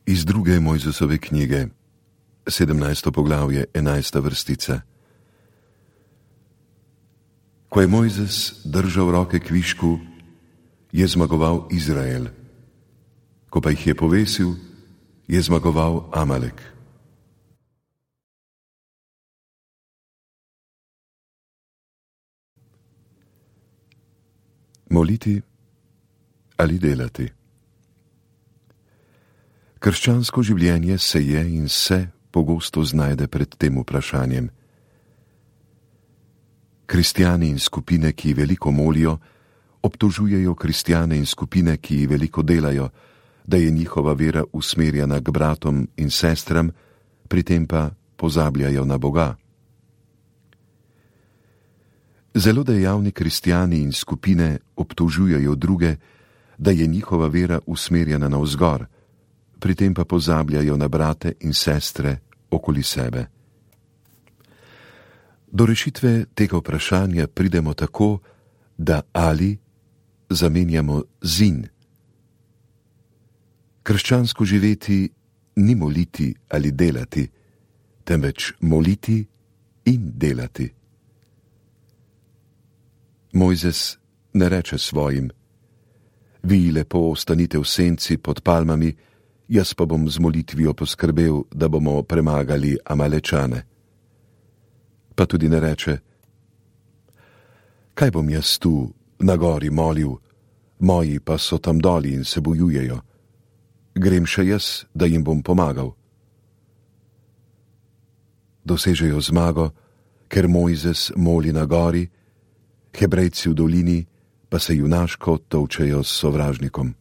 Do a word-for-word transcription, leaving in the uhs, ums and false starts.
Iz druge Mojzesove knjige, sedemnajsto poglavje, enajsta vrstica. Ko je Mojzes držal roke kvišku, je zmagoval Izrael. Ko pa jih je povesil, je zmagoval Amalek. Moliti ali delati? Krščansko življenje se je in se pogosto znajde pred tem vprašanjem. Kristjani in skupine, ki veliko molijo, obtožujejo kristjane in skupine, ki veliko delajo, da je njihova vera usmerjena k bratom in sestram, pri tem pa pozabljajo na Boga. Zelo dejavni kristjani in skupine obtožujejo druge, da je njihova vera usmerjena navzgor, pri tem pa pozabljajo na brate in sestre okoli sebe. Do rešitve tega vprašanja pridemo tako, da ali zamenjamo z in. Krščansko živeti ni moliti ali delati, temveč moliti in delati. Mojzes ne reče svojim: vi lepo ostanite v senci pod palmami, jaz pa bom z molitvijo poskrbel, da bomo premagali Amalečane. Pa tudi ne reče: kaj bom jaz tu na gori molil, moji pa so tam doli in se bojujejo. Grem še jaz, da jim bom pomagal. Dosežejo zmago, ker Mojzes moli na gori, Hebrejci v dolini pa se junaško tolčejo s sovražnikom.